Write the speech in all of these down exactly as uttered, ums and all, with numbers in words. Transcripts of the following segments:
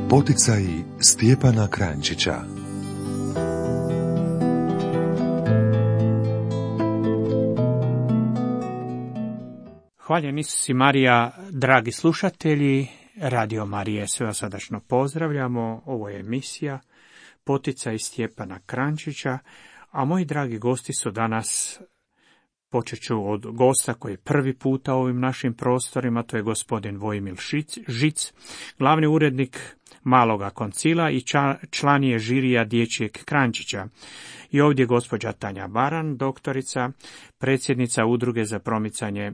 Poticaji Stjepana Kranjčića. Hvaljen Isus i Marija, dragi slušatelji, Radio Marije, sve vas srdačno pozdravljamo. Ovo je emisija Poticaji Stjepana Kranjčića, a moji dragi gosti su danas, počet ću od gosta koji je prvi puta u ovim našim prostorima, to je gospodin Vojmil Žic, glavni urednik Maloga koncila i član je žirija Dječjeg Kranjčića. I ovdje je gospođa Tanja Baran, doktorica, predsjednica Udruge za promicanje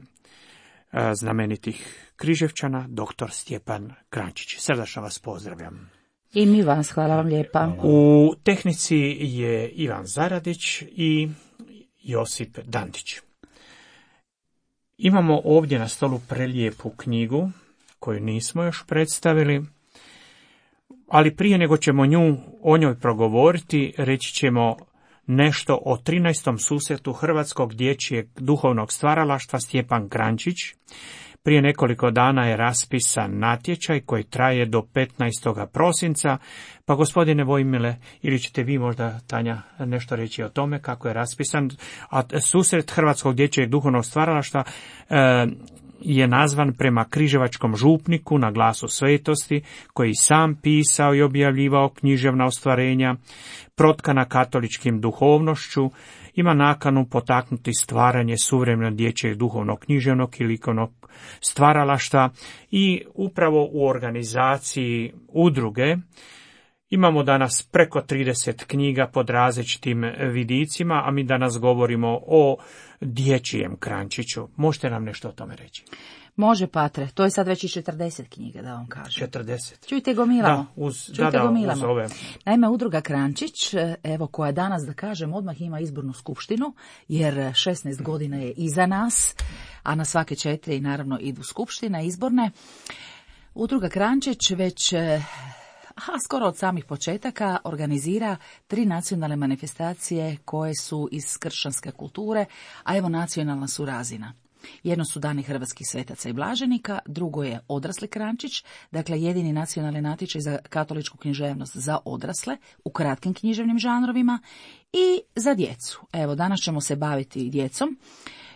znamenitih Križevčana, doktor Stjepan Kranjčić. Srdačno vas pozdravljam. I mi vas, hvala vam lijepa. U tehnici je Ivan Zaradić i Josip Dantić. Imamo ovdje na stolu prelijepu knjigu koju nismo još predstavili, ali prije nego ćemo nju, o njoj progovoriti, reći ćemo nešto o trinaestom susretu Hrvatskog dječjeg duhovnog stvaralaštva Stjepan Kranjčić. Prije nekoliko dana je raspisan natječaj koji traje do petnaestog prosinca, pa gospodine Vojmile, ili ćete vi možda, Tanja, nešto reći o tome kako je raspisan, a susret Hrvatskog dječjeg duhovnog stvaralaštva e, je nazvan prema križevačkom župniku na Glasu svetosti, koji sam pisao i objavljivao književna ostvarenja, protkana katoličkim duhovnošću, ima nakanu potaknuti stvaranje suvremenog dječjeg duhovnog književnog i likovnog stvaralaštva i upravo u organizaciji udruge imamo danas preko trideset knjiga pod različitim vidicima, a mi danas govorimo o dječjem Kranjčiću. Možete nam nešto o tome reći? Može, Patre, to je sad već i četrdeset knjiga, da vam kažem. četrdeset. Čujte, gomilamo. Da, uz, Čujte, da, da, gomilamo. uz ove. Naime, udruga Kranjčić, evo, koja danas, da kažem, odmah ima izbornu skupštinu, jer šesnaest godina je iza nas, a na svake četiri, naravno, idu skupština izborne. Udruga Kranjčić već, a skoro od samih početaka, organizira tri nacionalne manifestacije koje su iz kršćanske kulture, a evo nacionalna su razina. Jedno su dani hrvatskih svetaca i blaženika, drugo je odrasli Kranjčić, dakle jedini nacionalni natječaj za katoličku književnost za odrasle u kratkim književnim žanrovima i za djecu. Evo, danas ćemo se baviti djecom.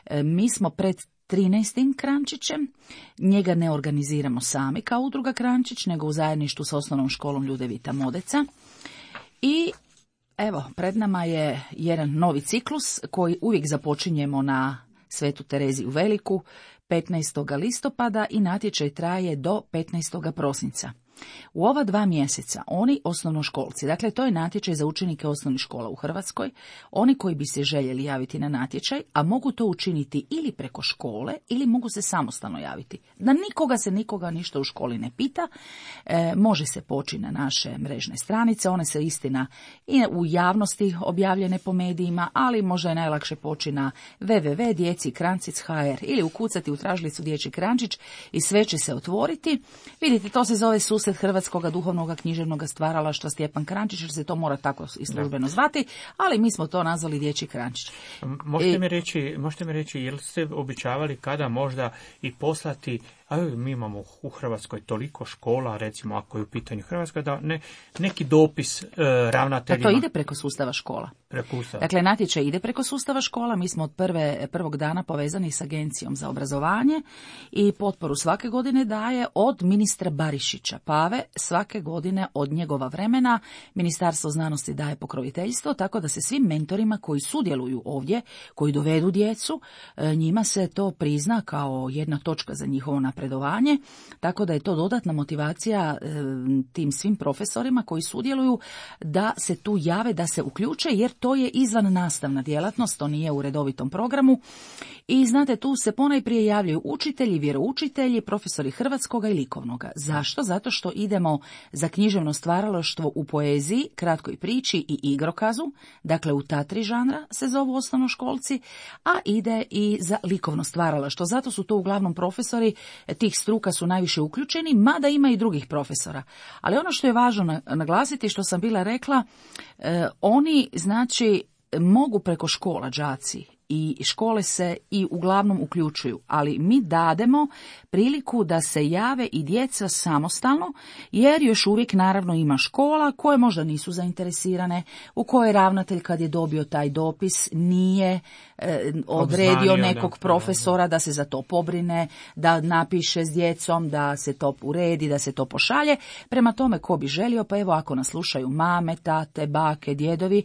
E, mi smo pred trinaestim Kranjčićem, njega ne organiziramo sami kao udruga Kranjčić, nego u zajedništvu s osnovnom školom Ljudevita Modeca. I evo, pred nama je jedan novi ciklus koji uvijek započinjemo na Svetu Tereziju Veliku, petnaestog listopada i natječaj traje do petnaestog prosinca. U ova dva mjeseca oni osnovnoškolci, dakle to je natječaj za učenike osnovnih škola u Hrvatskoj, oni koji bi se željeli javiti na natječaj, a mogu to učiniti ili preko škole ili mogu se samostalno javiti. Da nikoga se nikoga ništa u školi ne pita, e, može se poći na naše mrežne stranice, one se istina i u javnosti objavljene po medijima, ali možda je najlakše poći na w w w tačka djeci kranjčić tačka h r ili ukucati u tražilicu Dječji Kranjčić i sve će se otvoriti. Vidite, to se zove susret Hrvatskog duhovnog književnog stvaralaštva Stjepan Kranjčić, jer se to mora tako i službeno zvati, ali mi smo to nazvali Dječji Kranjčić. Možete mi reći, možete mi reći, jel ste običavali kada možda i poslati, a mi imamo u Hrvatskoj toliko škola, recimo ako je u pitanju Hrvatska, da ne, neki dopis e, ravnateljima. Da to ide preko sustava škola. Preko ustava. Dakle, natječaj ide preko sustava škola, mi smo od prve, prvog dana povezani s Agencijom za obrazovanje i potporu svake godine daje od ministra Barišića Pave, svake godine od njegova vremena Ministarstvo znanosti daje pokroviteljstvo, tako da se svim mentorima koji sudjeluju ovdje, koji dovedu djecu, njima se to prizna kao jedna točka za njihovo napredovanje, tako da je to dodatna motivacija tim svim profesorima koji sudjeluju da se tu jave, da se uključe, jer to je izvan nastavna djelatnost, to nije u redovitom programu. I znate, tu se ponajprije javljaju učitelji, vjeroučitelji, profesori hrvatskoga i likovnoga. Zašto? Zato što idemo za književno stvaralaštvo u poeziji, kratkoj priči i igrokazu, dakle u ta tri žanra se zovu osnovnoškolci, a ide i za likovno stvaralaštvo. Zato su to uglavnom profesori, tih struka su najviše uključeni, mada ima i drugih profesora. Ali ono što je važno naglasiti, što sam bila rekla, eh, oni znači mogu preko škola đaci i škole se i uglavnom uključuju, ali mi dademo priliku da se jave i djeca samostalno, jer još uvijek naravno ima škola koje možda nisu zainteresirane, u kojoj ravnatelj kad je dobio taj dopis nije e, odredio Obznanio, nekog da, profesora da se za to pobrine, da napiše s djecom, da se to uredi, da se to pošalje. Prema tome, ko bi želio, pa evo ako nas slušaju mame, tate, bake, djedovi,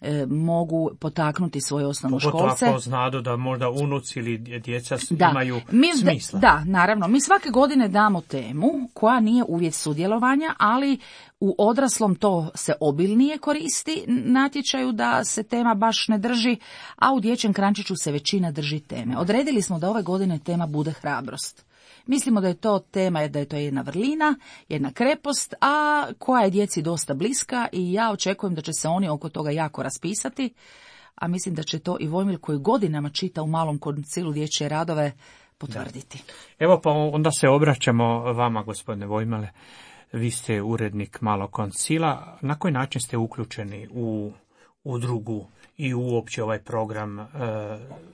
e, mogu potaknuti svoje osnovnoškolce. Pogotovo ako znadu da možda unuci ili djeca Da. imaju Mi, smisla. Da, naravno. Mi svake godine damo temu koja nije uvjet sudjelovanja, ali u odraslom to se obilnije koristi natječaju da se tema baš ne drži, a u dječjem krančiću se većina drži teme. Odredili smo da ove godine tema bude hrabrost. Mislimo da je to tema, da je to jedna vrlina, jedna krepost, a koja je djeci dosta bliska i ja očekujem da će se oni oko toga jako raspisati, a mislim da će to i Vojmil koji godinama čita u Malom koncilu dječje radove potvrditi. Da. Evo pa onda se obraćamo vama, gospodine Vojmile. Vi ste urednik Malog koncila. Na koji način ste uključeni u udrugu i uopće ovaj program e,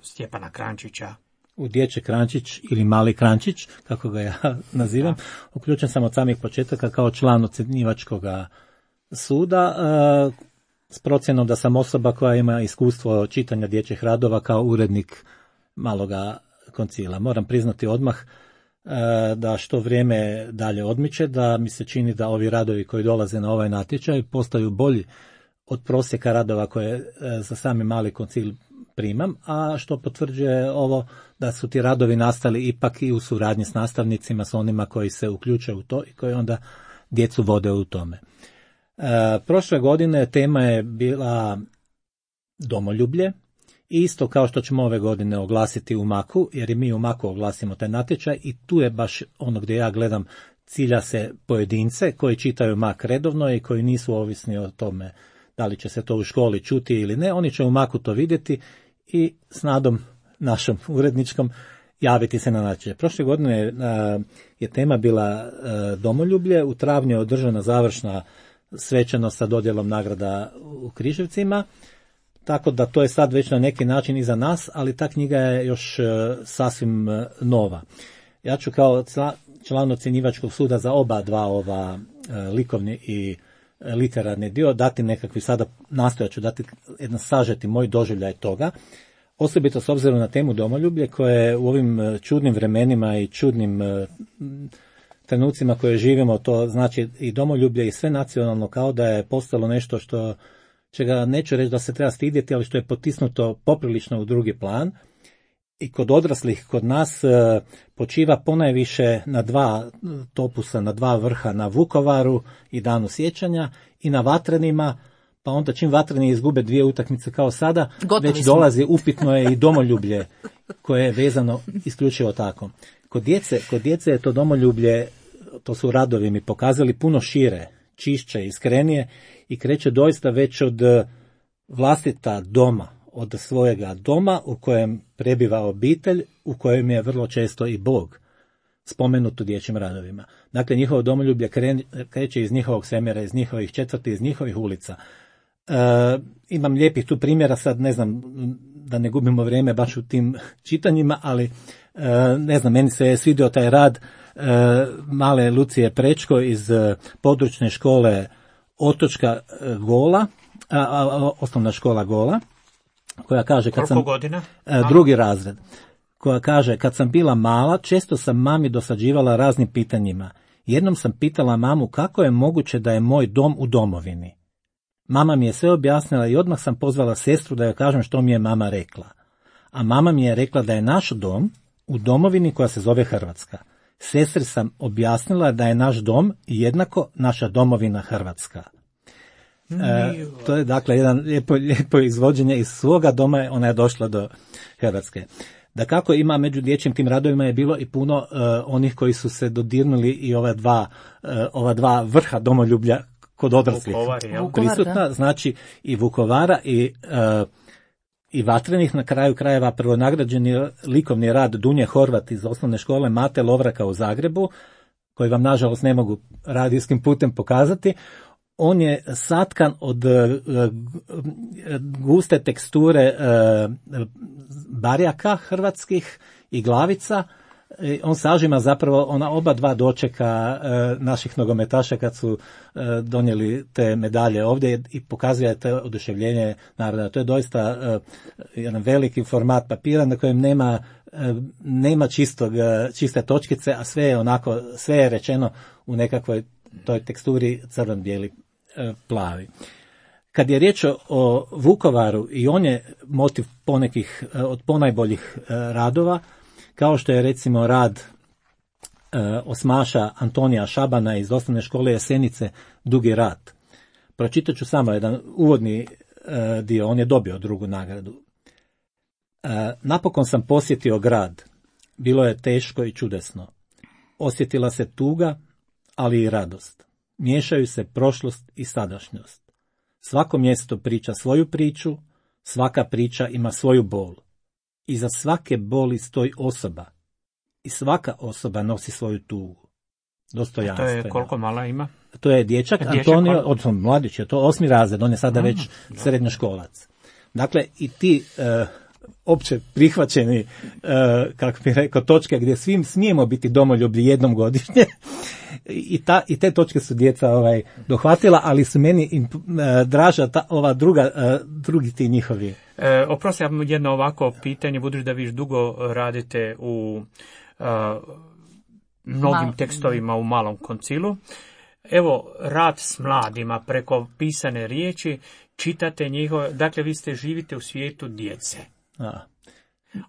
Stjepana Krančića? U Dječji Krančić ili Mali Krančić, kako ga ja nazivam, da. Uključen sam od samih početaka kao član ocjenjivačkog suda, e, s procjenom da sam osoba koja ima iskustvo čitanja dječjih radova kao urednik Maloga koncila. Moram priznati odmah e, da što vrijeme dalje odmiče, da mi se čini da ovi radovi koji dolaze na ovaj natječaj postaju bolji od prosjeka radova koje e, za sami Mali koncil primam, a što potvrđuje ovo da su ti radovi nastali ipak i u suradnji s nastavnicima, s onima koji se uključuju u to i koji onda djecu vode u tome. E, prošle godine tema je bila domoljublje, isto kao što ćemo ove godine oglasiti u Maku, jer i mi u Maku oglasimo taj natječaj i tu je baš ono gdje ja gledam, cilja se pojedince koji čitaju Mak redovno i koji nisu ovisni o tome da li će se to u školi čuti ili ne, oni će u Maku to vidjeti i s nadom našom uredničkom javiti se na natječaj. Prošle godine je, je tema bila domoljublje, u travnju je održana završna svečanost sa dodjelom nagrada u Križevcima, tako da to je sad već na neki način iza nas, ali ta knjiga je još sasvim nova. Ja ću kao član ocjenjivačkog suda za oba dva ova likovni i literarni dio dati nekakvi, sada nastojat ću dati jedan sažeti moj doživljaj toga, osobito s obzirom na temu domoljublje koje u ovim čudnim vremenima i čudnim trenucima koje živimo, to znači i domoljublje i sve nacionalno, kao da je postalo nešto što, čega neću reći da se treba stidjeti, ali što je potisnuto poprilično u drugi plan. I kod odraslih, kod nas počiva ponajviše na dva topusa, na dva vrha, na Vukovaru i Danu sjećanja i na Vatrenima, pa onda čim Vatreni izgube dvije utakmice kao sada, gotovi već smo. Dolazi upitno je i domoljublje koje je vezano isključivo tako. Kod djece, kod djece je to domoljublje, to su radovi mi pokazali, puno šire, čišće, iskrenije i kreće doista već od vlastita doma, od svojega doma u kojem prebiva obitelj, u kojem je vrlo često i Bog spomenut u dječjim radovima. Dakle, njihovo domoljublje kreće iz njihovog semera, iz njihovih četvrti, iz njihovih ulica. E, imam lijepih tu primjera, sad ne znam da ne gubimo vrijeme baš u tim čitanjima, ali e, ne znam, meni se je svidio taj rad e, male Lucije Prečko iz e, područne škole Otočka e, Gola, a, a, osnovna škola Gola, koja kaže kad sam godina? E, drugi razred, koja kaže kad sam bila mala često sam mami dosađivala raznim pitanjima. Jednom sam pitala mamu kako je moguće da je moj dom u domovini. Mama mi je sve objasnila i odmah sam pozvala sestru da joj kažem što mi je mama rekla. A mama mi je rekla da je naš dom u domovini koja se zove Hrvatska. Sestri sam objasnila da je naš dom jednako naša domovina Hrvatska. E, to je dakle jedan lijepo, lijepo izvođenje iz svoga doma, ona je došla do Hrvatske. Da kako ima među dječjim tim radovima je bilo i puno uh, onih koji su se dodirnuli i ova dva, uh, ova dva vrha domoljublja kod odraslih prisutna, znači i Vukovara i, uh, i Vatrenih, na kraju krajeva prvonagrađeni likovni rad Dunje Horvat iz osnovne škole Mate Lovraka u Zagrebu, koji vam nažalost ne mogu radijskim putem pokazati. on je satkan od guste teksture barjaka hrvatskih i glavica. On sažima zapravo ona oba dva dočeka naših nogometaša kad su donijeli te medalje ovdje i pokazuje te oduševljenje naroda. To je doista jedan veliki format papira na kojem nema, nema čistog, čiste točkice, a sve je onako, sve je rečeno u nekakvoj toj teksturi crven-bijeli plavi. Kad je riječ o Vukovaru, i on je motiv ponekih od ponajboljih radova, kao što je recimo rad osmaša Antonija Šabana iz osnovne škole Jesenice Dugi rat. Pročitat ću samo jedan uvodni dio, on je dobio drugu nagradu. Napokon sam posjetio grad. Bilo je teško i čudesno. Osjetila se tuga, ali i radost. Miješaju se prošlost i sadašnjost. Svako mjesto priča svoju priču, svaka priča ima svoju bol. Iza svake boli stoji osoba i svaka osoba nosi svoju tugu. Dostojanstveno. To je koliko mala ima? To je dječak, dječak Antonio, odnosno mladić je to osmi razred, on je sada mm, već no. srednjoškolac. Dakle, i ti uh, opće prihvaćeni, uh, kako bih rekao, točke gdje svim smijemo biti domoljubi jednom godišnje, I, ta, i te točke su djeca ovaj, dohvatila, ali su meni im, uh, draža ta, ova druga, uh, drugi ti njihovi. E, oprosti, ja jedno ovako pitanje, budući da vi dugo radite u uh, mnogim Mal... tekstovima u Malom koncilu. Evo, rad s mladima preko pisane riječi, čitate njihove, dakle vi ste živite u svijetu djece, a,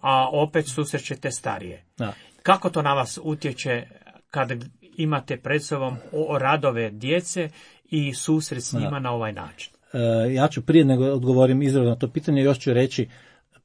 a opet susrećete starije. A. Kako to na vas utječe kad imate pred sobom radove djece i susret s njima a. na ovaj način? E, ja ću prije nego odgovorim izravno na to pitanje, još ću reći,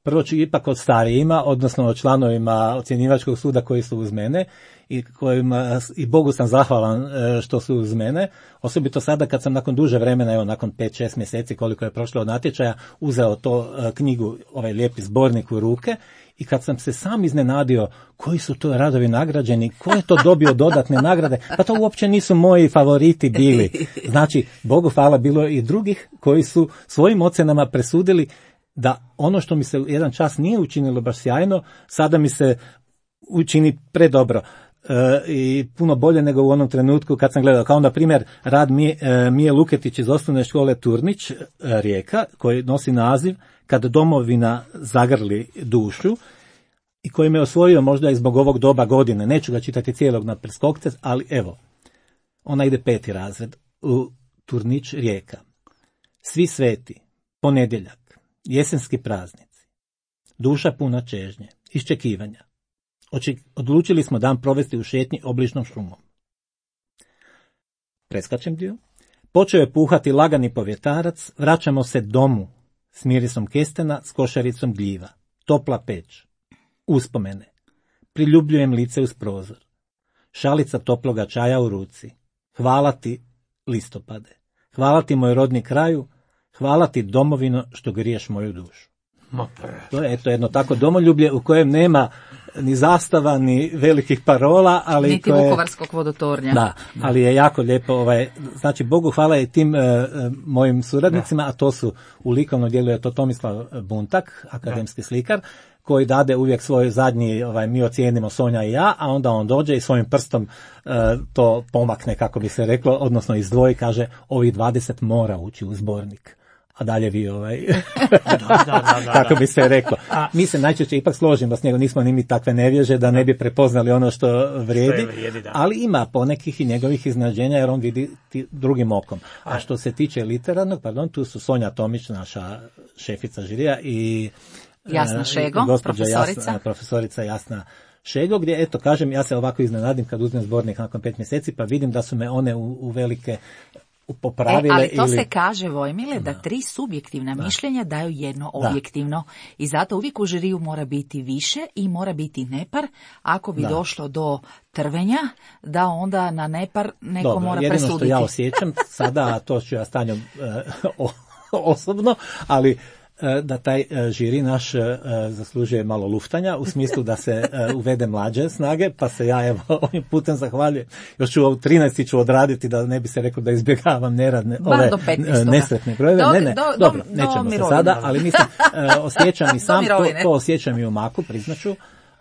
prvo ću ipak od starijima, odnosno o članovima ocjenjivačkog suda koji su uz mene i kojima i Bogu sam zahvalan što su uz mene, osobito sada kad sam nakon duže vremena, evo nakon pet šest mjeseci koliko je prošlo od natječaja, uzeo to knjigu, ovaj lijepi zbornik u ruke i kad sam se sam iznenadio koji su to radovi nagrađeni, ko je to dobio dodatne nagrade, pa to uopće nisu moji favoriti bili. Znači, Bogu hvala, bilo i drugih koji su svojim ocjenama presudili da ono što mi se jedan čas nije učinilo baš sjajno, sada mi se učini predobro e, i puno bolje nego u onom trenutku kad sam gledao. Kao na primjer rad Mije, e, Mije Luketić iz osnovne škole Turnić, e, Rijeka, koji nosi naziv Kad domovina zagrli dušu i koji me osvojio možda i zbog ovog doba godine. Neću ga čitati cijelog na preskokce, ali evo, ona ide peti razred u Turnić, Rijeka. Svi sveti, ponedjeljak, jesenski praznici, duša puna čežnje, iščekivanja. Oči, odlučili smo dan provesti u šetnji obližnom šumom. Preskačem dio. Počeo je puhati lagani povjetarac, vraćamo se domu s mirisom kestena, s košaricom gljiva. Topla peć. Uspomene. Priljubljujem lice uz prozor. Šalica toploga čaja u ruci. Hvala ti, listopade. Hvala ti, moj rodni kraju. Hvala ti, domovino, što griješ moju dušu. To je eto jedno tako domoljublje u kojem nema ni zastava, ni velikih parola, ali niti koje, Vukovarskog vodotornja. Da, ali je jako lijepo, ovaj, znači Bogu hvala i tim uh, mojim suradnicima, da. A to su u likovnom dijelu je to Tomislav Buntak, akademski da. slikar, koji dade uvijek svoj zadnji, ovaj, mi ocijenimo Sonja i ja, a onda on dođe i svojim prstom uh, to pomakne, kako bi se reklo, odnosno izdvoji, kaže ovih dvadeset mora ući u zbornik. A dalje vi ovaj, da, da, da, da, kako bi se reklo. Mi se najčešće ipak složimo s njegom, nismo ni mi takve nevježe da ne bi prepoznali ono što vrijedi, što vrijedi ali ima ponekih i njegovih iznenađenja jer on vidi drugim okom. A što se tiče literarnog, pardon, tu su Sonja Tomić, naša šefica žirija i Jasna Šego, profesorica. Jasna, profesorica Jasna Šego, gdje, eto, kažem, ja se ovako iznenadim kad uzmem zbornik nakon pet mjeseci, pa vidim da su me one u, u velike popravile. E, ali to ili... se kaže, Vojmile, da tri subjektivna da. mišljenja daju jedno objektivno. Da. I zato uvijek u žiriju mora biti više i mora biti nepar. Ako bi da. došlo do trvenja, da onda na nepar neko Dobro, mora presuditi. Jedino što ja osjećam sada, to ću ja stanjom uh, osobno, ali da taj žiri naš zaslužuje malo luftanja, u smislu da se uvede mlađe snage, pa se ja evo ovim putem zahvaljujem. Još ću u trinaesti ću odraditi da ne bi se rekao da izbjegavam neradne, ove nesretne brojeve. Ne, ne, do, dobro, do, nećemo do se sada, ali mislim, osjećam i sam, to, to osjećam i u Maku, priznaću,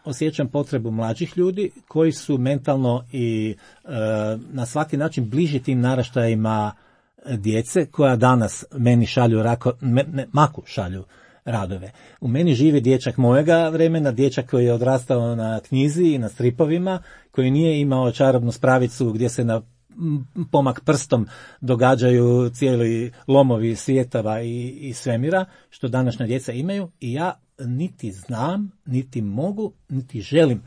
osjećam potrebu mlađih ljudi koji su mentalno i na svaki način bliži tim naraštajima djece koja danas meni šalju rako, me, ne, Maku šalju radove. U meni živi dječak mojega vremena, dječak koji je odrastao na knjizi i na stripovima, koji nije imao čarobnu spravicu gdje se na pomak prstom događaju cijeli lomovi svijetava i, i svemira, što današnja djeca imaju, i ja niti znam, niti mogu, niti želim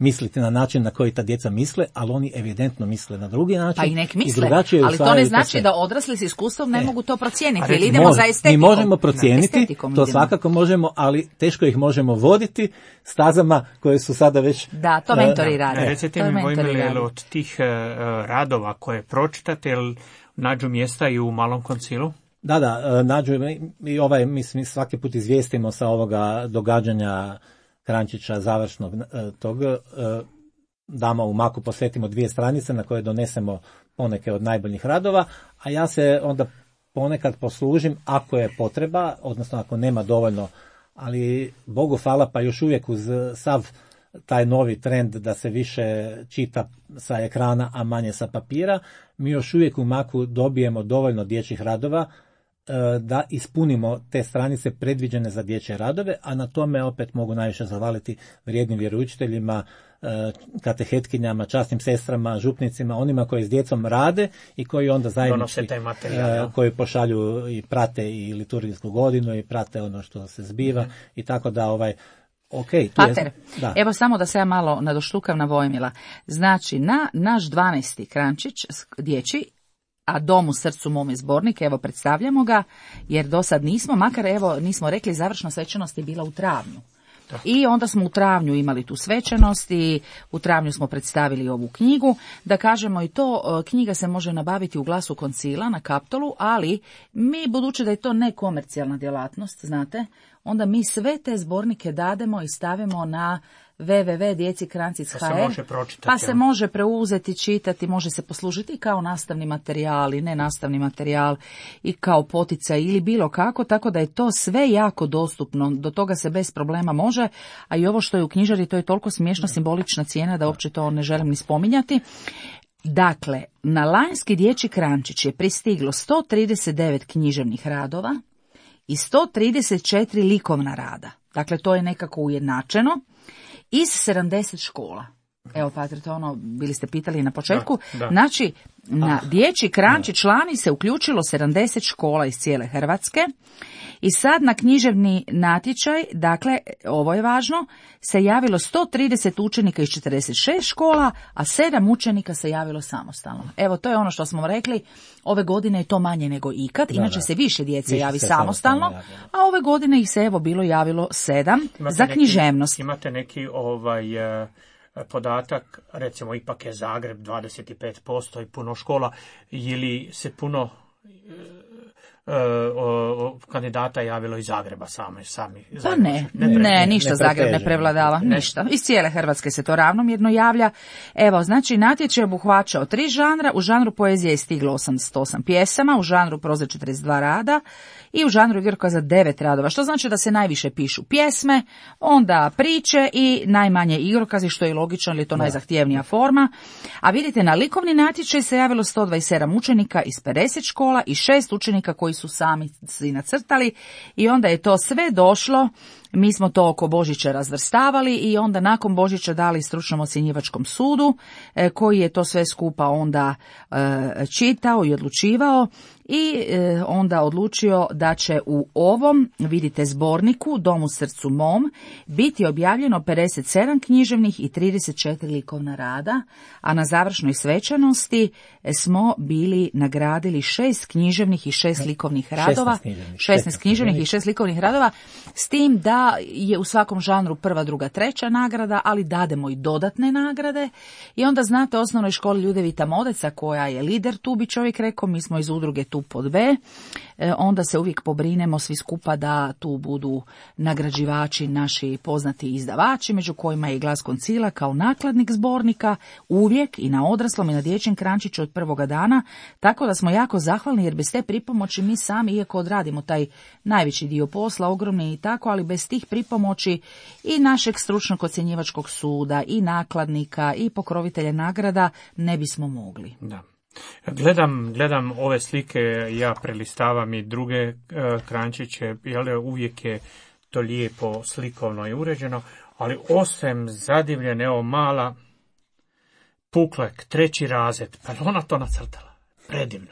misliti na način na koji ta djeca misle, ali oni evidentno misle na drugi način. Pa i nek misle, i ali to ne znači sve. Da odrasli s iskustvom ne, ne mogu to procijeniti, ili idemo može, za estetikom. Mi možemo procijeniti, to idemo. Svakako možemo, ali teško ih možemo voditi stazama koje su sada već... Da, to mentori uh, rade. Recite mi, Vojmile, od tih uh, radova koje pročitate, jel nađu mjesta i u Malom koncilu? Da, da, nađu i ovaj, mi, mi svaki put izvijestimo sa ovoga događanja Kranjčića završnog tog, dama u Maku posvetimo dvije stranice na koje donesemo poneke od najboljih radova, a ja se onda ponekad poslužim ako je potreba, odnosno ako nema dovoljno, ali Bogu hvala, pa još uvijek uz sav taj novi trend da se više čita sa ekrana, a manje sa papira, mi još uvijek u Maku dobijemo dovoljno dječjih radova da ispunimo te stranice predviđene za dječje radove, a na tome opet mogu najviše zahvaliti vrijednim vjeroučiteljima, katehetkinjama, časnim sestrama, župnicima, onima koji s djecom rade i koji onda zajednički, koji pošalju i prate i liturgijsku godinu i prate ono što se zbiva mm. i tako da ovaj Okay, Pater, da. Evo samo da se ja malo nadoštukam na Vojmila. Znači, na naš dvanaesti Kranjčić dječji, a Dom u srcu mom je zbornik, evo predstavljamo ga, jer do sad nismo, makar evo nismo rekli, završna svečanost je bila u travnju. Da. I onda smo u travnju imali tu svečanost i u travnju smo predstavili ovu knjigu. Da kažemo i to, knjiga se može nabaviti u Glasu koncila na Kaptolu, ali mi, budući da je to nekomercijalna djelatnost, znate, onda mi sve te zbornike dademo i stavimo na w w w točka djeci kranjčić točka h r, pa se može preuzeti, čitati, može se poslužiti kao nastavni materijal i nenastavni materijal i kao poticaj ili bilo kako, tako da je to sve jako dostupno, do toga se bez problema može, a i ovo što je u knjižari, to je toliko smiješna simbolična cijena da uopće to ne želim ni spominjati. Dakle, na lanjski dječji Kranjčić je pristiglo sto trideset devet književnih radova i sto trideset četiri likovna rada. Dakle, to je nekako ujednačeno. Iz sedamdeset škola. Evo, Pater, to ono, bili ste pitali na početku. Da, da. Znači, na dječji Kranjčić člani se uključilo sedamdeset škola iz cijele Hrvatske. I sad na književni natječaj, dakle, ovo je važno, se javilo sto trideset učenika iz četrdeset šest škola, a sedam učenika se javilo samostalno. Evo, to je ono što smo rekli, ove godine je to manje nego ikad, da, inače da. se više djece više javi se samostalno, samostalno a ove godine ih se evo bilo javilo sedam imate za književnost. Neki, imate neki ovaj... podatak, recimo ipak je Zagreb dvadeset pet posto i puno škola, ili se puno e, o, o, kandidata javilo iz Zagreba same, sami? Pa ne, ne, ne, ne ništa ne Zagreb ne prevladava, ne. ništa. Iz cijele Hrvatske se to ravnomjerno javlja. Evo, znači, natječaj je obuhvaćao tri žanra, u žanru poezije je stiglo osamdeset osam pjesama, u žanru proze četrdeset dva rada i u žanru igrokaza devet radova, što znači da se najviše pišu pjesme, onda priče i najmanje igrokazi, što je logično, jer je to no. najzahtjevnija forma. A vidite, na likovni natječaj se javilo sto dvadeset sedam učenika iz pedeset škola i šest učenika koji su sami si nacrtali i onda je to sve došlo. Mi smo to oko Božića razvrstavali i onda nakon Božića dali stručnom ocjenjivačkom sudu e, koji je to sve skupa onda e, čitao i odlučivao i e, onda odlučio da će u ovom, vidite, zborniku Dom u srcu mom biti objavljeno pedeset sedam književnih i trideset četiri likovna rada, a na završnoj svečanosti smo bili nagradili šest književnih i šest likovnih radova, šesnaest književnih i šest likovnih radova, s tim da da je u svakom žanru prva, druga, treća nagrada, ali dademo i dodatne nagrade. I onda znate, u osnovnoj školi Ljudevita Modeca, koja je lider, tu bi čovjek rekao, mi smo iz udruge tu pod B, e, onda se uvijek pobrinemo svi skupa da tu budu nagrađivači naši poznati izdavači, među kojima je i Glas Koncila kao nakladnik zbornika, uvijek i na odraslom i na dječjem krančiću od prvoga dana, tako da smo jako zahvalni, jer bez te pripomoći mi sami, iako odradimo taj najveći dio posla, ogromni i tako, ali bez tih pripomoći i našeg stručnog ocjenjivačkog suda, i nakladnika, i pokrovitelja nagrada, ne bismo mogli. Da. Gledam, gledam ove slike, ja prelistavam i druge e, krančiće, jel, uvijek je to lijepo slikovno i uređeno, ali osim zadivljene, evo mala Puklek, treći razred, pa ona to nacrtala, predivno.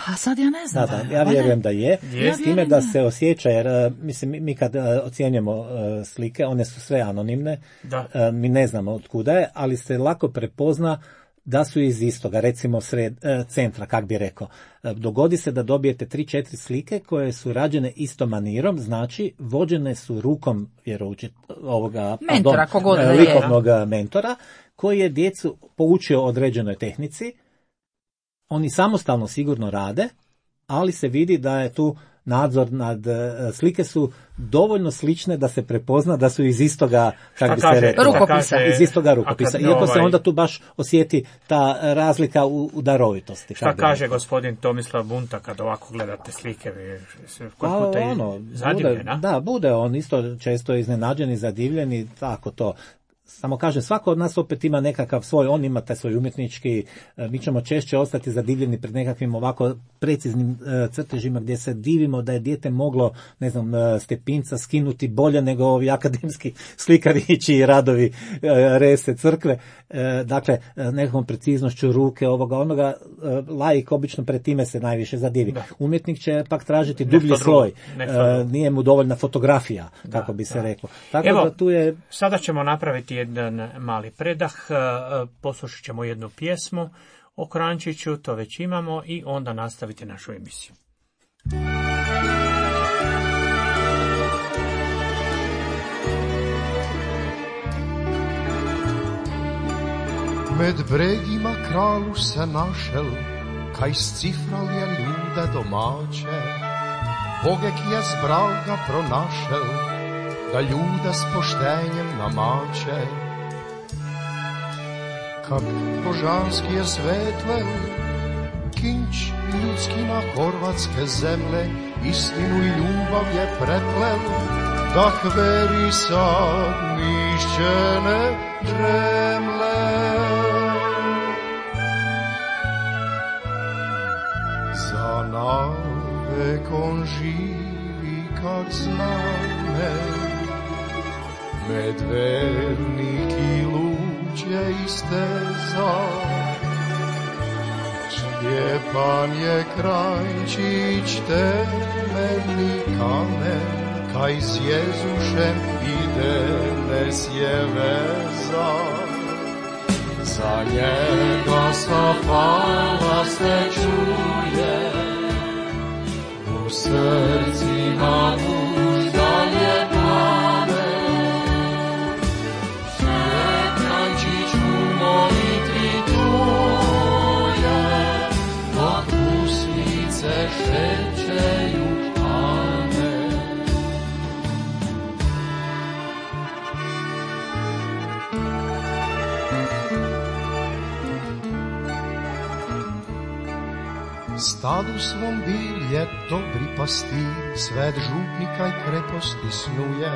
A sad ja ne znam. Da, da, ja vjerujem da je, je. s time da se osjeća, jer mislim, mi kad ocjenjujemo slike, one su sve anonimne, Da. mi ne znamo od kuda je, ali se lako prepozna da su iz istoga, recimo sred, centra, kak bi rekao. Dogodi se da dobijete tri četiri slike koje su rađene istom manirom, znači vođene su rukom vjeroučit, ovoga mentora, pardon, da likovnog je. mentora, koji je djecu poučio određenoj tehnici. Oni samostalno sigurno rade, ali se vidi da je tu nadzor nad, slike su dovoljno slične da se prepozna da su iz istoga, kako bi se rekao, rukopisa. Iz istoga rukopisa. Iako ovaj, se onda tu baš osjeti ta razlika u, u darovitosti. Šta kaže rekao. Gospodin Tomislav Bunta kad ovako gledate slike? Kod pa, puta ono, zadivljena? Bude, da, bude on isto često iznenađen i zadivljen i tako to. Samo kažem, svako od nas opet ima nekakav svoj, on ima taj svoj umjetnički, mi ćemo češće ostati zadivljeni pred nekakvim ovako preciznim crtežima gdje se divimo da je dijete moglo, ne znam, stepinca skinuti bolje nego ovi akademski slikarići i radovi rese crkve. Dakle, nekakvom preciznošću ruke, ovoga, onoga, laik obično pred time se najviše zadivi. Da. Umjetnik će pak tražiti dublji nešto sloj, drugo, nije mu dovoljna fotografija, da, kako bi se da. reklo. Tako Evo, da tu je... sada ćemo napraviti jedan mali predah, poslušat ćemo jednu pjesmu o Krančiću, to već imamo, i onda nastaviti našu emisiju. Med bregima kralu se našel, kaj scifral je ljude domače. Bogek je zbral ga pronašel, da ljude s poštenjem namače. Kak božanski je svetlel, kinč ljudski na horvatske zemlje, istinu i ljubav je preplel, da hveri sad mišćene žemle. Za navek on živi kak zname, med vernik i luđe isteza. Stjepan je Krančić temeljni kamen, kaj s Jezušem ide nes je veza. Za njega sa fala se čuje, u srcima mužda je plane. Krančić u molitvi tuje, dok usnice šećeju amen. Stadu svom bil je dobri pastir, svet župnika i kreposti snuje.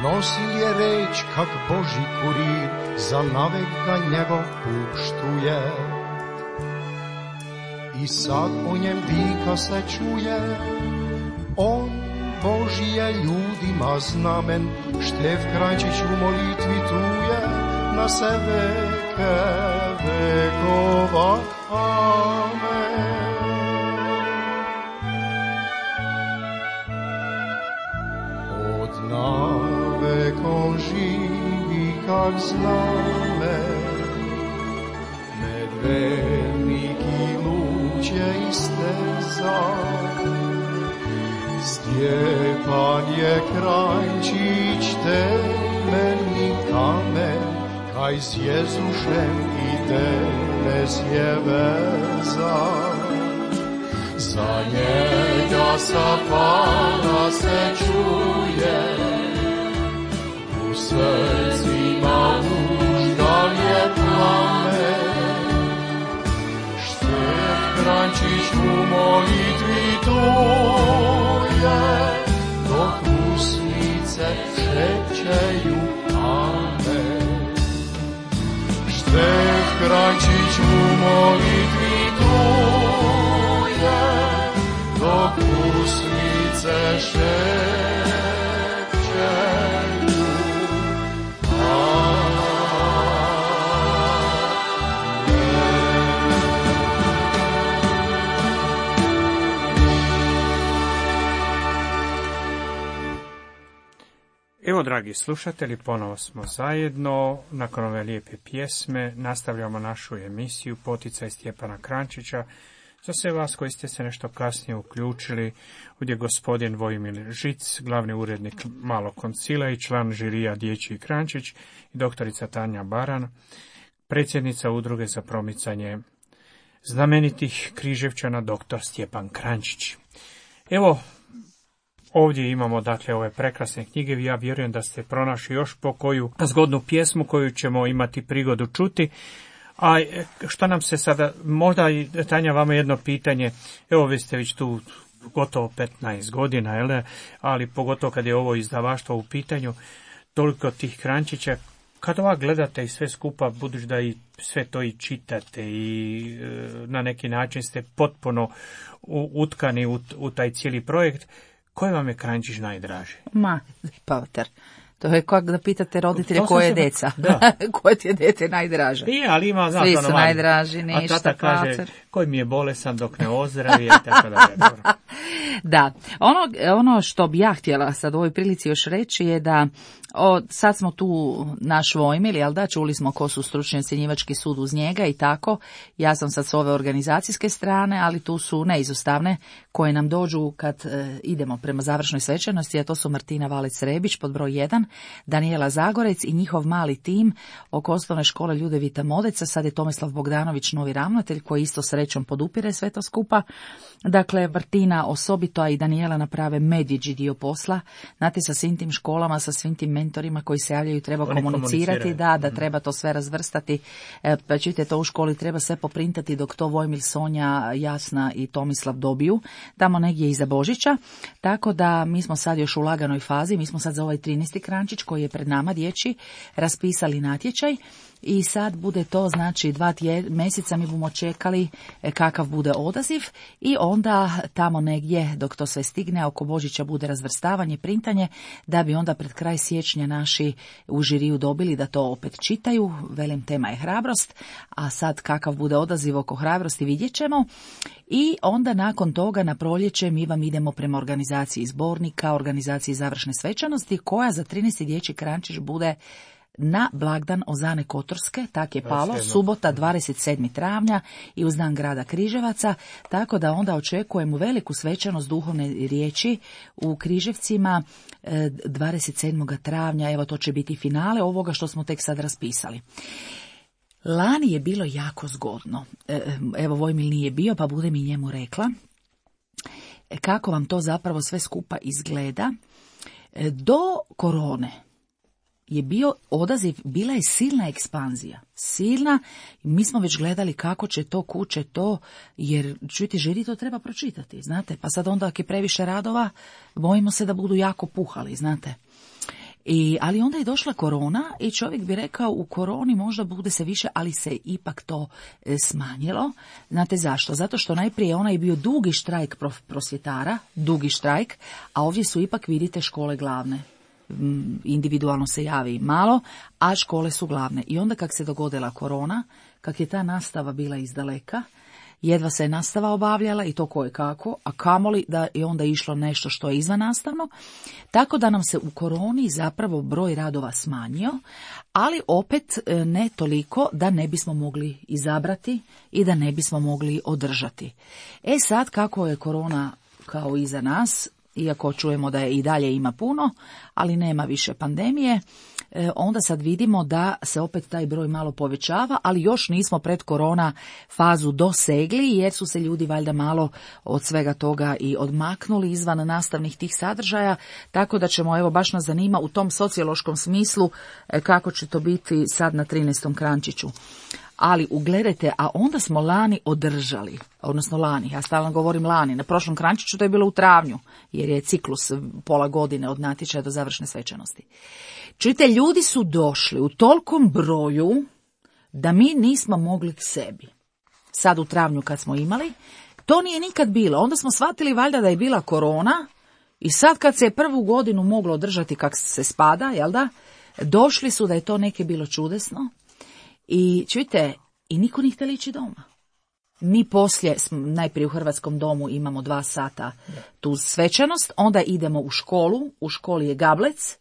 Nosil je reč kak Boži kurir, za navek ga njegov puštuje. I sad o njem vika se čuje, on Boži je ljudima znamen, Štef Krančić u molitvi tuje, na se veke vekova, amen. Od navek on živi kak zname, med vernik i luđe isteza. Stjepan je Kranjčić temeljni kamen, kaj s Jezušem idenes je vezan. Za njega sa Pana se čuje, u srcima užgal je plamen. Štef Kranjčić u molitvi tuje, dok usnice šepćeju amen. Štef Kranjčić u molitvi tuje, dok usnice šepćeju amen. Evo, dragi slušatelji, ponovo smo zajedno. Nakon ove lijepe pjesme nastavljamo našu emisiju Poticaj Stjepana Kranjčića. Za sve vas koji ste se nešto kasnije uključili, ovdje je gospodin Vojmir Žic, glavni urednik Malog koncila i član žirija Dječji Kranjčić, i doktorica Tanja Baran, predsjednica udruge za promicanje znamenitih Križevčana, doktor Stjepan Kranjčić. Evo, ovdje imamo dakle ove prekrasne knjige i ja vjerujem da ste pronašli još po koju zgodnu pjesmu koju ćemo imati prigodu čuti. A što nam se sada, možda i Tanja vama jedno pitanje, evo vi ste već tu gotovo petnaest godina, jel? Ali pogotovo kad je ovo izdavaštvo u pitanju, toliko tih Kranjčića, kad ovak gledate i sve skupa, budući da i sve to i čitate i e, na neki način ste potpuno utkani u, u taj cijeli projekt, koji vam je Kranjčić najdraži? Ma, Pavter, to je kako da pitate roditelje koje je deca, da. koje ti je dete najdraže. I, ali ima, znaš, svi su ono, najdraži, ništa. A tata kaže, Pacer. koji mi je bolesan dok ne ozdravi, i tako da. Da, ono, ono što bi ja htjela sad u ovoj prilici još reći je da o, sad smo tu naš Vojmil, jel da, čuli smo ko su stručni ocjenjivački sud uz njega i tako. Ja sam sad s ove organizacijske strane, ali tu su neizostavne koje nam dođu kad e, idemo prema završnoj svečanosti, a to su Martina Valec-Rebić pod broj jedan, Danijela Zagorec i njihov mali tim oko osnovne škole Ljudevita Modeca. Sad je Tomislav Bogdanović novi ravnatelj koji isto srećom podupire sve to skupa. Dakle, Martina osobito, a i Danijela naprave medvjeđi dio posla. Znate, sa svim tim školama, sa svim tim mentorima koji se javljaju treba Oni komunicirati, da, da treba to sve razvrstati. E, pa čujte, to u školi treba sve poprintati dok to Vojmil, Sonja, Jasna i Tomislav dobiju, tamo negdje iza Božića. Tako da mi smo sad još u laganoj fazi, mi smo sad za ovaj trinaesti Kranjčić koji je pred nama dječji raspisali natječaj. I sad bude to, znači, dva tje, mjeseca mi bomo čekali kakav bude odaziv i onda tamo negdje, dok to sve stigne, oko Božića bude razvrstavanje, printanje, da bi onda pred kraj siječnja naši u žiriju dobili da to opet čitaju. Velim, tema je hrabrost, a sad kakav bude odaziv oko hrabrosti vidjet ćemo. I onda nakon toga na proljeće mi vam idemo prema organizaciji zbornika, organizaciji završne svečanosti, koja za trinaesti dječji Kranjčić bude na blagdan Ozane Kotorske, tak je palo, subota dvadeset sedmog travnja i uz dan grada Križevaca, tako da onda očekujemo veliku svečanost duhovne riječi u Križevcima dvadeset sedmog travnja, evo to će biti finale ovoga što smo tek sad raspisali. Lani je bilo jako zgodno, evo Vojmil nije bio pa budem i njemu rekla kako vam to zapravo sve skupa izgleda. Do korone je bio odaziv, bila je silna ekspanzija, silna, mi smo već gledali kako će to, kuće to, jer čujte, žiri to treba pročitati, znate, pa sad onda ako je previše radova, bojimo se da budu jako puhali, znate. I, ali onda je došla korona i čovjek bi rekao u koroni možda bude se više, ali se ipak to e, smanjilo. Znate zašto? Zato što najprije onaj bio dugi štrajk prof, prosvjetara, dugi štrajk, a ovdje su ipak, vidite, škole glavne. Individualno se javi malo, a škole su glavne. I onda kak se dogodila korona, kak je ta nastava bila izdaleka, jedva se je nastava obavljala i to koje kako, a kamoli da je onda išlo nešto što je izvannastavno, tako da nam se u koroni zapravo broj radova smanjio, ali opet ne toliko da ne bismo mogli izabrati i da ne bismo mogli održati. E sad, kako je korona kao iza nas, iako čujemo da je i dalje ima puno, ali nema više pandemije, e, onda sad vidimo da se opet taj broj malo povećava, ali još nismo pred korona fazu dosegli, jer su se ljudi valjda malo od svega toga i odmaknuli izvan nastavnih tih sadržaja, tako da ćemo, evo baš nas zanima u tom sociološkom smislu e, kako će to biti sad na trinaestom Kranjčiću. Ali ugledajte, a onda smo lani održali, odnosno lani, ja stalno govorim lani, na prošlom Kranjčiću to je bilo u travnju, jer je ciklus pola godine od natječaja do završne svečanosti. Čujte, ljudi su došli u tolkom broju da mi nismo mogli k sebi. Sad u travnju kad smo imali, to nije nikad bilo. Onda smo shvatili valjda da je bila korona i sad kad se je prvu godinu moglo održati kak se spada, jel da, došli su da je to neke bilo čudesno. I čujte, i niko nije htjeli ići doma. Mi poslije, najprije u Hrvatskom domu imamo dva sata tu svečanost, onda idemo u školu, u školi je gablec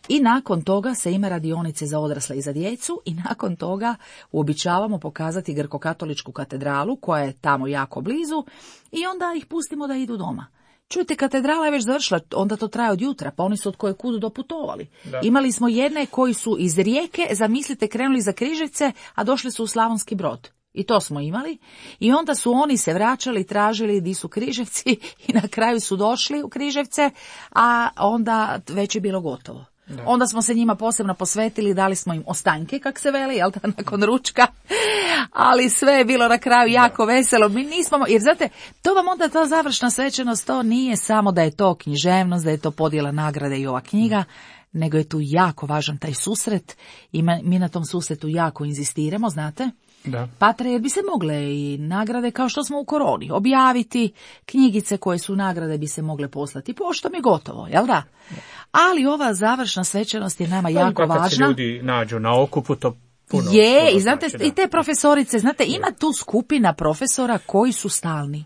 i nakon toga se ima radionice za odrasle i za djecu i nakon toga uobičavamo pokazati Grko-katoličku katedralu koja je tamo jako blizu i onda ih pustimo da idu doma. Čujte, katedrala je već završila, onda to traje od jutra, pa oni su od koje kudu doputovali. Da. Imali smo jedne koji su iz Rijeke, zamislite, krenuli za Križevce, a došli su u Slavonski Brod. I to smo imali. I onda su oni se vraćali, tražili di su Križevci i na kraju su došli u Križevce, a onda već je bilo gotovo. Da. Onda smo se njima posebno posvetili, dali smo im ostanke, kak se veli, jel da, nakon ručka, ali sve je bilo na kraju jako da. veselo. Mi nismo, jer znate, to vam onda ta završna svečanost, to nije samo da je to književnost, da je to podjela nagrade i ova knjiga, nego je tu jako važan taj susret i mi na tom susretu jako inzistiramo, znate. Da. Patre, jer bi se mogle i nagrade kao što smo u koroni objaviti, knjigice koje su nagrade bi se mogle poslati poštom i gotovo, jel da? da. Ali ova završna svečanost je nama to jako važna. Kad se ljudi nađu na okupu, to puno. Je, puno i znate, znači, i te profesorice, znate, ima tu skupina profesora koji su stalni.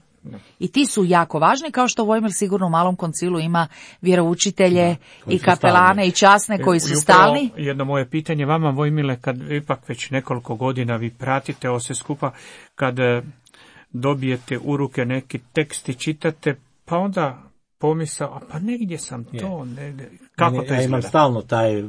I ti su jako važni, kao što Vojmir sigurno u Malom koncilu ima vjeroučitelje da, i kapelane stalni. I časne koji su stalni. Jedno moje pitanje vama, Vojmile, kad ipak već nekoliko godina vi pratite ovo sve skupa, kad dobijete u ruke neki tekst i čitate, pa onda pomisao, a pa negdje sam to, negdje. Kako ne, to izgleda? Ja imam stalno taj,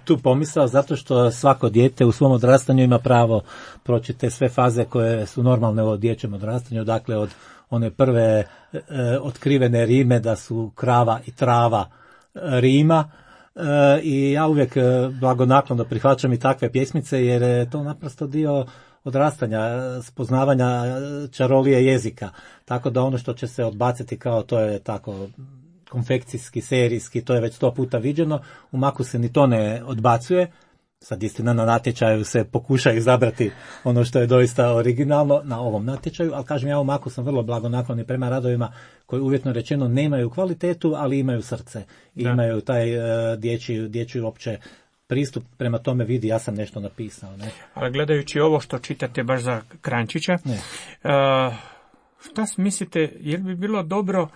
tu pomisao, zato što svako dijete u svom odrastanju ima pravo proći te sve faze koje su normalne u dječjem odrastanju, dakle od one prve e, otkrivene rime da su krava i trava e, rima e, i ja uvijek e, blagonaklono prihvaćam i takve pjesmice jer je to naprosto dio odrastanja, spoznavanja čarolije jezika, tako da ono što će se odbaciti kao to je tako konfekcijski, serijski, to je već sto puta viđeno, u Maku se ni to ne odbacuje. Sad istina na natječaju se pokuša izabrati ono što je doista originalno na ovom natječaju, ali kažem ja u Maku sam vrlo blagonakloni prema radovima koji uvjetno rečeno nemaju kvalitetu, ali imaju srce i da. imaju taj uh, dječji, dječji opće pristup prema tome, vidi ja sam nešto napisao. Ne? Ali gledajući ovo što čitate baš za Kranjčića, uh, šta mislite, je li bi bilo dobro,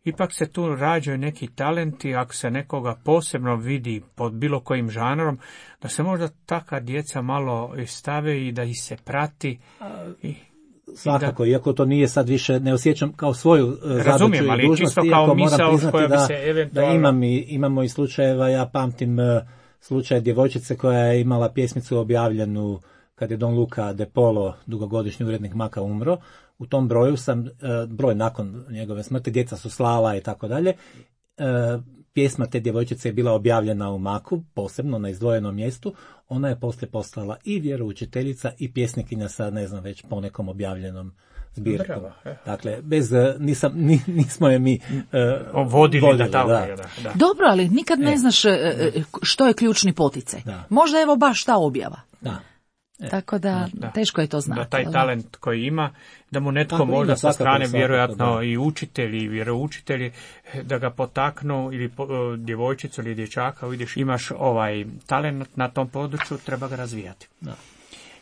ipak se tu rađaju neki talenti, ako se nekoga posebno vidi pod bilo kojim žanrom, da se možda taka djeca malo stave i da ih se prati. I, svakako, i da, iako to nije sad više, ne osjećam kao svoju zadaću i dužnost, iako moram priznati da, eventualno... da imam i, imamo i slučajeva, ja pamtim slučaj djevojčice koja je imala pjesmicu objavljenu kad je Don Luca De Polo, dugogodišnji urednik Maka, umro. U tom broju sam, broj nakon njegove smrti, djeca su slala i tako dalje. Pjesma te djevojčice je bila objavljena u Maku, posebno na izdvojenom mjestu. Ona je poslije postala i vjeroučiteljica i pjesnikinja sa, ne znam, već ponekom objavljenom zbirkom. Dakle, bez, nisam, nismo je mi uh, vodili, vodili da, da. Da, da. Dobro, ali nikad ne e. znaš što je ključni poticaj. Da. Možda evo baš ta objava. Da. E, Tako da, da teško je to znati. Da taj talent koji ima, da mu netko tako možda sa strane, svakako, vjerojatno da. I učitelji i vjeroučitelji, da ga potaknu, ili po, djevojčicu ili dječaka, vidiš, imaš ovaj talent na tom području, treba ga razvijati. Da.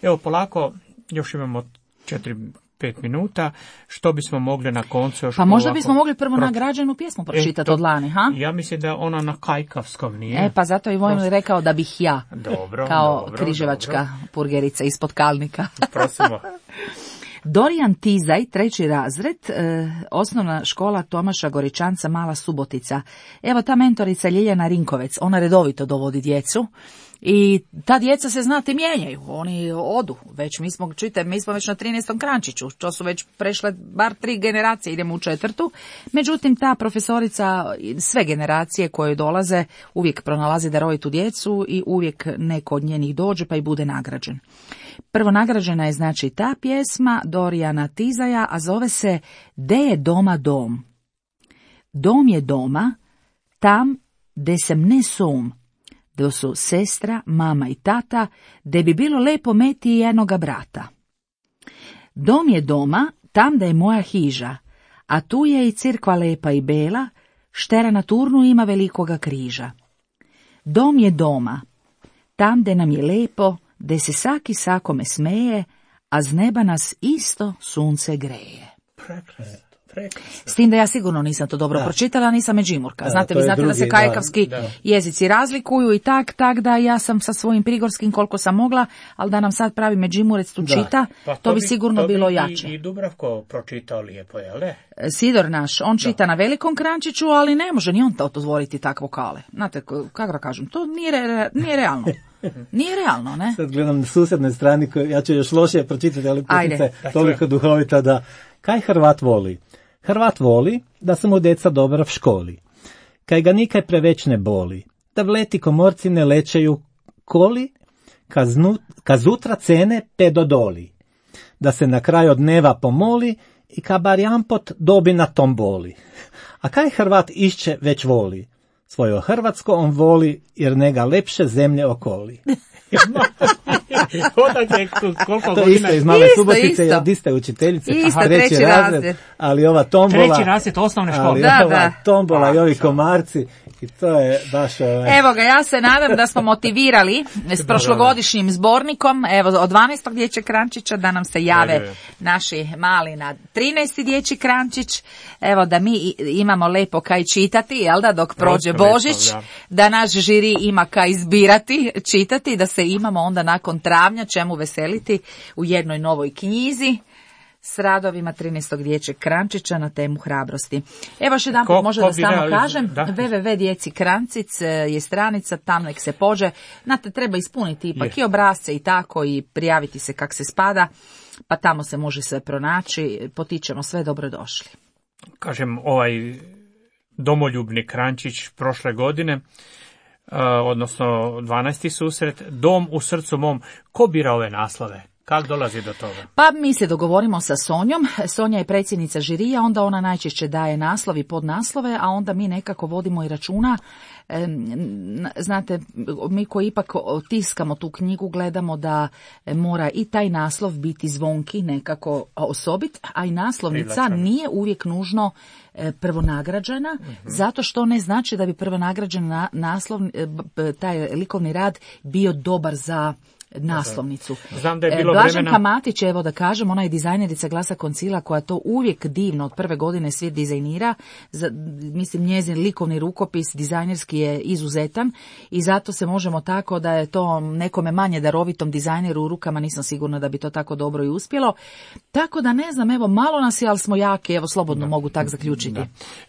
Evo, polako, još imamo četiri pet minuta, što bismo mogli na koncu još... Pa možda ovako, bismo mogli prvo pro... nagrađenu pjesmu pročitati e, od lani, ha? Ja mislim da ona na kajkavskom nije. E, pa zato i Vojmil rekao da bih ja, dobro, kao dobro, križevačka dobro. purgerica ispod Kalnika. Prosimo. Dorijan Tizaj, treći razred, e, osnovna škola Tomaša Goričanca, Mala Subotica. Evo ta mentorica Ljiljana Rinkovec, ona redovito dovodi djecu. I ta djeca se, znate, mijenjaju, oni odu, već mi smo, čujte, mi smo već na trinaestom krančiću, to su već prešle bar tri generacije, idemo u četvrtu, međutim ta profesorica, sve generacije koje dolaze, uvijek pronalazi darovitu djecu i uvijek neko od njenih dođe pa i bude nagrađen. Prvo nagrađena je znači ta pjesma Dorijana Tizaja, a zove se De je doma dom. Dom je doma, tam de sem ne som, da su sestra, mama i tata, da bi bilo lepo meti i jednoga brata. Dom je doma, tam da je moja hiža, a tu je i cirkva lepa i bela, štera na turnu ima velikoga križa. Dom je doma, tam da nam je lepo, da se saki sakome smeje, a z neba nas isto sunce greje. Prekrasno. S tim da ja sigurno nisam to dobro da. pročitala, nisam međimurka. Da, znate, vi znate drugi, da se kajkavski da, da. jezici razlikuju i tak, tak da ja sam sa svojim prigorskim koliko sam mogla, ali da nam sad pravi međimurec tu Da. čita, Pa to bi sigurno to bi bilo i- jače. I Dubravko pročitao lijepo, jel ne? Sidor naš, on čita na velikom krančiću, ali ne može ni on to otvoriti tak vokale. Znate, k- kako da kažem, to nije, re- nije realno. Nije realno, ne? Sad gledam na susjednoj strani, koju ja ću još lošije pročitati, ali Ajde. putica je toliko duhovita da... Kaj Hrvat voli? Hrvat voli da su mu deca dobra v školi. Kaj ga nikaj preveć ne boli. Da vleti komorci ne lečeju koli, kaznu, kazutra cene pe dodoli. Da se na kraju dneva pomoli i ka bar jampot dobi na tom boli. A kaj Hrvat išće već voli? Svojo Hrvatsko on voli, jer nega lepše zemlje okoli. Odakle, koliko To godina... isto iz Male Isto, Subotice, isto. od iste učiteljice, Isto, treći, treći razred, razred. ali ova tombola, Treći razred osnovne škole. ali Da, ova da. tombola i ovi A, komarci, i to je baš... Ovaj, Evo ga, ja se nadam da smo motivirali s prošlogodišnjim zbornikom, evo od dvanaestog dječjeg krančića da nam se jave Ajde. naši mali na trinaesti dječji krančić, evo da mi i- imamo lepo kaj čitati, jel da, dok prođe Lepo, Božić, da. da naš žiri ima kaj izbirati, čitati, da se imamo onda nakon travnja čemu veseliti u jednoj novoj knjizi s radovima trinaestog dječjeg krančića na temu hrabrosti. Evo još jedan Ko- put možda ko da bi samo realiz- kažem, da. w w w djeci krancic je stranica, tam nek se pođe. Znate, treba ispuniti ipak Je. i obrazce i tako i prijaviti se kak se spada, pa tamo se može sve pronaći. Potičemo sve, dobrodošli. Kažem, ovaj domoljubni krančić prošle godine, uh, odnosno dvanaesti susret, Dom u srcu mom. Ko bira ove naslove? Kako dolazi do toga? Pa mi se dogovorimo sa Sonjom. Sonja je predsjednica žirija, onda ona najčešće daje naslov i podnaslove, a onda mi nekako vodimo i računa. E, n- znate, mi koji ipak tiskamo tu knjigu, gledamo da mora i taj naslov biti zvonki, nekako osobit, a i naslovnica Privlačan. nije uvijek nužno e, prvonagrađena, zato što ne znači da bi prvonagrađen na, naslov, e, b- b- taj likovni rad bio dobar za naslovnicu. Znam da je E, bilo Blaženka vremena... Matić, evo da kažem, ona je dizajnerica Glasa Koncila koja to uvijek divno od prve godine svi dizajnira. Za, mislim, njezin likovni rukopis dizajnerski je izuzetan i zato se možemo tako da je to nekome manje darovitom dizajneru u rukama, nisam sigurna da bi to tako dobro i uspjelo. Tako da ne znam, evo malo nas je, ali smo jaki, evo slobodno mogu tak zaključiti.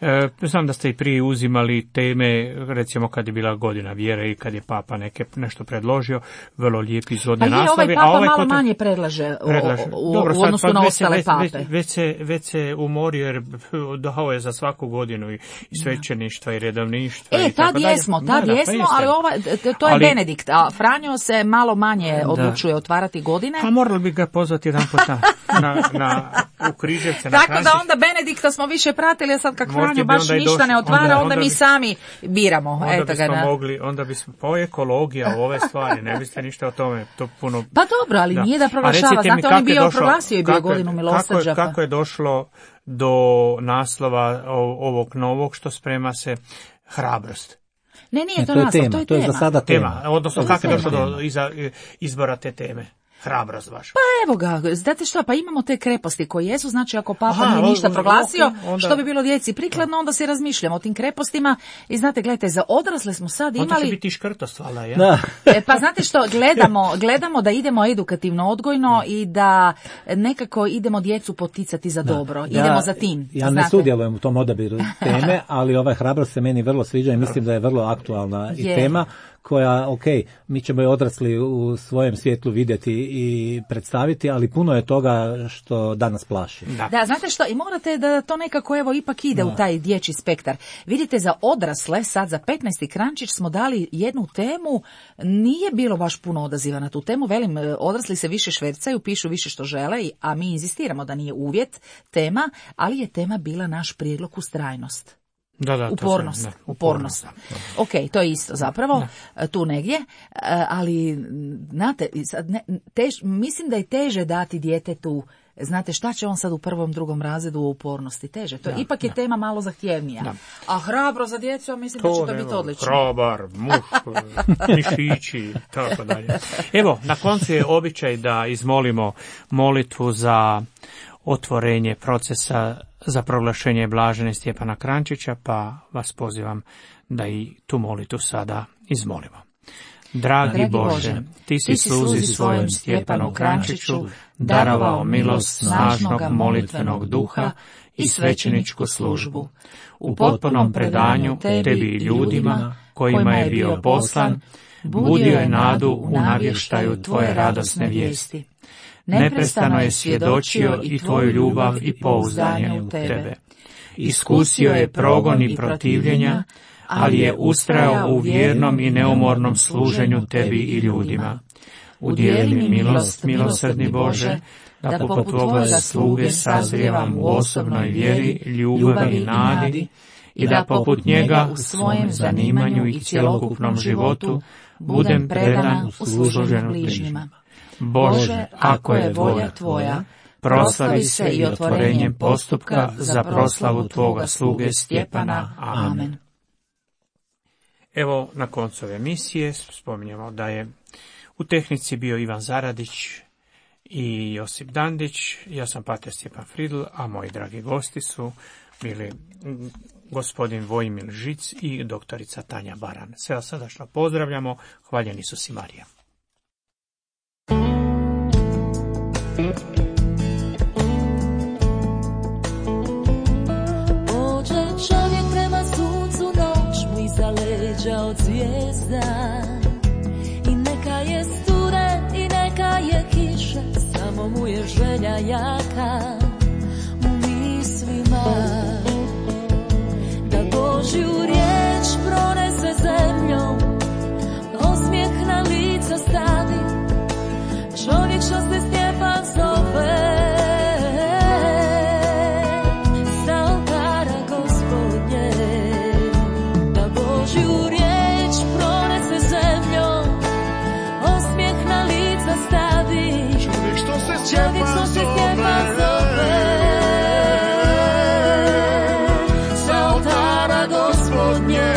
E, znam da ste i prije uzimali teme, recimo kad je bila godina vjere i kad je Papa neke, nešto predložio, vrlo lijepi izvodne Pa je, naslovi. ovaj a Papa ovaj malo kod- manje predlaže, o- predlaže. u, Dobro, u sad, odnosu pa na već se- ostale već, pape. Već, već, se, već se umorio jer dao je za svaku godinu i, i svećeništva i redovništva. E, i tako tad dalje. jesmo, Da, tad da, pa jesmo, jeste. ali ova, t- to je Ali- Benedikt, a Franjo se malo manje odlučuje otvarati godine. Pa morali bi ga pozvati jedan put na, na, na, u Križevce. na Tako da Kranjce. onda Benedikta smo više pratili, a sad kak Možda Franjo bi baš onda i ništa došli. ne otvara, Onda- onda, onda mi bi- sami biramo. Onda Eto ga, bismo na- mogli, onda bismo, pa ovo je ekologija, ove stvari, ne biste ništa o tome, to puno... Pa dobro, ali nije da A proglašava, recite mi, znate, on je kako je bio došlo- proglasio i bio kako je- godinu kako milosrđa. je, pa- kako je došlo do naslova o- ovog novog što sprema se hrabrost? Ne, nije Ne, to to je naslov, tema, to je to je za tema. sada tema. Tema, odnosno To je kako je tema. došlo do iza, izbora te teme? hrabrost vaša? Pa evo ga, znate što, pa imamo te kreposti koje jesu, znači ako papa Aha, nije ništa onda- proglasio, ok, onda- što bi bilo djeci prikladno, onda se razmišljamo o tim krepostima i znate, gledajte, za odrasle smo sad Onda će imali... biti škrtost, valjda, ja? Da. E, pa znate što, gledamo, gledamo da idemo edukativno odgojno i da nekako idemo djecu poticati za dobro. Idemo za tim. Ja ne znate. sudjelujem u tom odabiru teme, ali ovaj hrabrost se meni vrlo sviđa i mislim da je vrlo aktualna i Je. tema koja, ok, mi ćemo je odrasli u svojem svjetlu vidjeti i predstaviti, ali puno je toga što danas plaši. Da. Da, znate što, i morate da to nekako evo ipak ide u taj dječji spektar. Vidite, za odrasle, sad za petnaesti Krančić smo dali jednu temu, nije bilo baš puno odaziva na tu temu, velim, odrasli se više švercaju, pišu više što žele, a mi inzistiramo da nije uvjet tema, ali je tema bila naš prijedlog ustrajnost. Da, da, to Upornost, sam- ne, upornost. da, da. Ok, to je isto zapravo, tu negdje, e, ali, znate, sad ne, tež, mislim da je teže dati djetetu, znate šta će on sad u prvom, drugom razredu o upornosti, teže. To Da, ipak je da. tema malo zahtjevnija. Da. A hrabro za djecu, ja mislim da će to evo, biti odlično. Hrabar, muš, mišići, tako dalje. Evo, na koncu je običaj da izmolimo molitvu za otvorenje procesa za proglašenje blažene Stjepana Krančića, pa vas pozivam da i tu molitvu sada izmolimo. Dragi, Dragi Bože, Bože, ti si ti si sluzi sluzi svojem svojem Stjepanu Krančiću darovao milost snažnog molitvenog duha i svećeničku službu. U potpunom predanju tebi i ljudima kojima je bio poslan, budio je nadu u navještaju tvoje radosne vijesti. Neprestano je svjedočio i tvoju ljubav i pouzdanje u tebe. Iskusio je progon i protivljenja, ali je ustrajao u vjernom i neumornom služenju tebi i ljudima. Udijeli mi milost, milosrdni Bože, da poput tvoga sluge sazrijevam u osobnoj vjeri, ljubavi i nadi, i da poput njega u svojem zanimanju i cjelokupnom životu budem predan u služenju bližnjima. Bože, ako je volja tvoja, proslavi se i otvorenjem postupka za proslavu tvoga sluge Stjepana. Amen. Evo, na koncu ove emisije spominjamo da je u tehnici bio Ivan Zaradić i Josip Dandić, ja sam pater Stjepan Fridl, a moji dragi gosti su bili gospodin Vojmil Žic i doktorica Tanja Baran. Sve vas srdačno pozdravljamo, hvaljen Isus i Marija. Pođe čovjek prema suncu, noć mu iza leđa od zvijezda. I neka je studen i neka je kiša, samo mu je želja jaka u mislima. Da Božju riječ pronese zemljom, osmijeh na lica stavi, čovjek što se Stjepan zove. Čovjek što se Stjepan zove, sa oltara Gospodnje.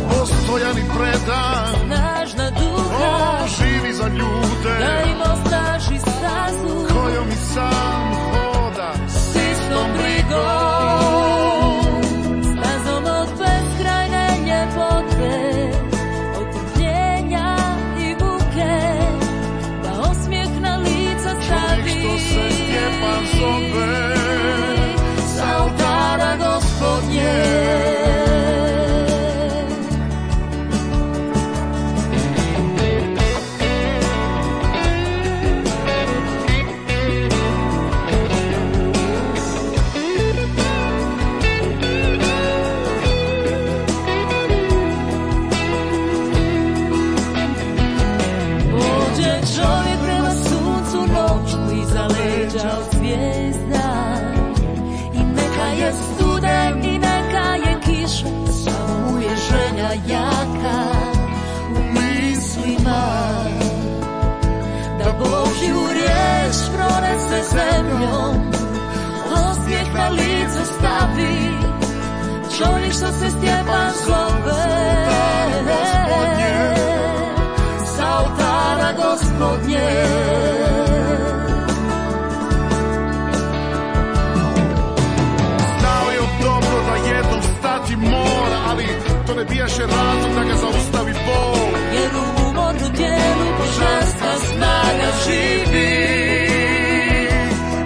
Postojan i predan, Snažna duha, on živi za ljude, da im ostraži stazu, kojom i sam hoda. s istom brigom, stazom od beskrajne ljepote. Što se Stjepan zove, sa oltara Gospodnje. Pođe čovjek prema suncu, noć mu iza leđa od zvijezda. I neka je studen i neka je kiša, samo mu je želja jaka u mislima. Da Božju riječ pronese zemljom, osmijeh na lice stavi, čovjek što se Stjepan zove. ali to ne bijaše razlog da ga zaustavi Bog. Jer u umornu tijelu božanska snaga živi.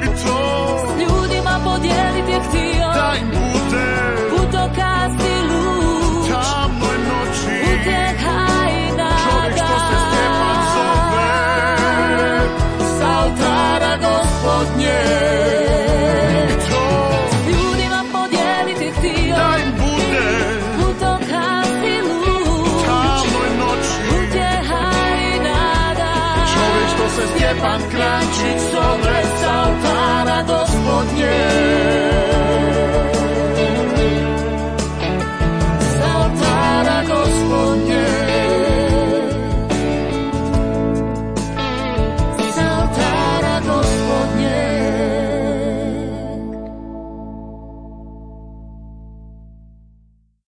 I to s ljudima podijeliti je htio, da im bude putokaz i luč, tamnoj noći. utjeha i nada. Čovjek što se Stjepan zove, s oltara Gospodnje. i to S ljudima podijeliti je htio, da im bude putokaz i luč, tamnoj noći. utjeha i nada. Čovjek što se Stjepan Kranjčić zove, s oltara Gospodnje.